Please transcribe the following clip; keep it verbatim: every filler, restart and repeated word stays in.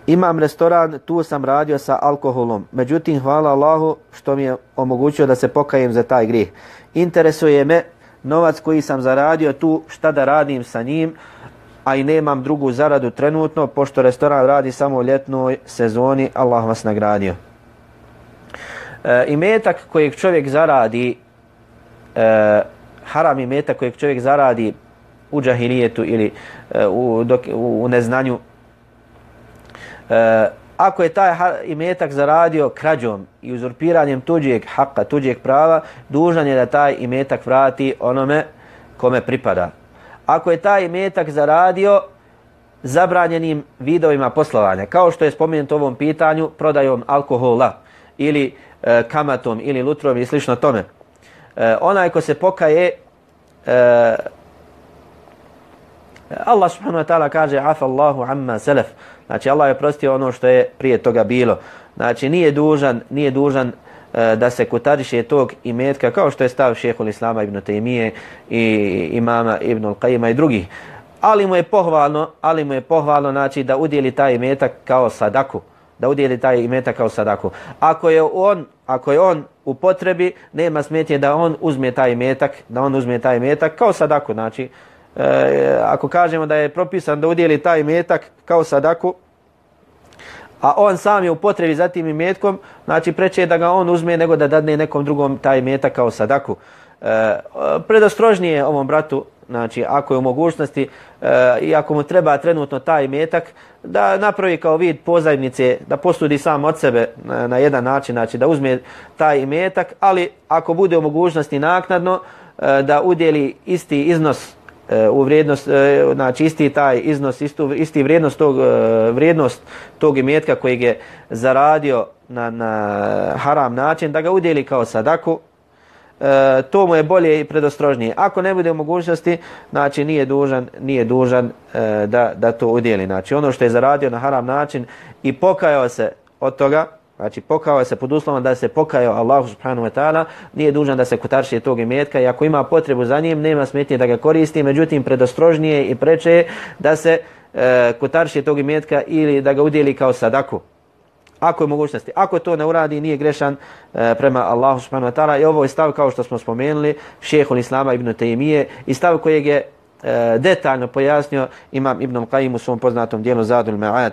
imam restoran, tu sam radio sa alkoholom. Međutim, hvala Allahu što mi je omogućio da se pokajem za taj grijeh. Interesuje me novac koji sam zaradio tu, šta da radim sa njim, a i nemam drugu zaradu trenutno, pošto restoran radi samo u ljetnoj sezoni, Allah vas nagradio. E, imetak kojeg čovjek zaradi, e, haram imetak kojeg čovjek zaradi u džahilijetu ili e, u, dok, u, u neznanju, e, ako je taj imetak zaradio krađom i uzurpiranjem tuđeg haka, tuđeg prava, dužan je da taj imetak vrati onome kome pripada. Ako je taj imetak zaradio zabranjenim vidovima poslovanja, kao što je spomenuto u ovom pitanju, prodajom alkohola ili e, kamatom ili lutrom i slično tome, e, onaj ko se pokaje, e, Allah subhanahu wa ta'ala kaže afa Allahu amma salaf, znači Allah je oprostio ono što je prije toga bilo. Znači nije dužan, nije dužan e, da se kutariše tog imetka, kao što je stav šejhul Islama ibn Taymije i imama Ibn al-Qayyima i drugih. Ali mu je pohvalno, ali mu je pohvalno znači da udjeli taj imetak kao sadaku, da udjeli taj imetak kao sadaku. Ako je on, ako je on u potrebi, nema smetnje da on uzme taj imetak, da on uzme taj imetak kao sadaku, znači E, ako kažemo da je propisan da udjeli taj imetak kao sadaku, a on sam je u potrebi za tim imetkom, znači preče je da ga on uzme nego da dadne nekom drugom taj imetak kao sadaku. E, predostrožnije ovom bratu, znači ako je u mogućnosti e, i ako mu treba trenutno taj imetak, da napravi kao vid pozajmice, da posudi sam od sebe na, na jedan način, znači da uzme taj imetak, ali ako bude u mogućnosti naknadno e, da udjeli isti iznos u vrijednost, znači isti taj iznos, istu, isti vrijednost tog, vrijednost tog imetka kojeg je zaradio na, na haram način, da ga udjeli kao sadaku, e, to mu je bolje i predostrožnije. Ako ne bude u mogućnosti, znači nije dužan, nije dužan e, da, da to udjeli. Znači ono što je zaradio na haram način i pokajao se od toga, znači pokajao se pod uslovom da se pokajao Allahu subhanahu wa ta'ala, nije dužan da se kotarši tog imetka i ako ima potrebu za njim, nema smetnje da ga koristi, međutim predostrožnije i preče je da se e, kotarši tog imetka ili da ga udjeli kao sadaku. Ako je mogućnosti. Ako to ne uradi, nije grešan e, prema Allahu subhanahu wa ta'ala. I ovo je stav, kao što smo spomenuli, šejhul Islama ibn Taymije i stav kojeg je e, detaljno pojasnio imam Ibn al-Qayyim u svom poznatom dijelu Zadul Ma'ad.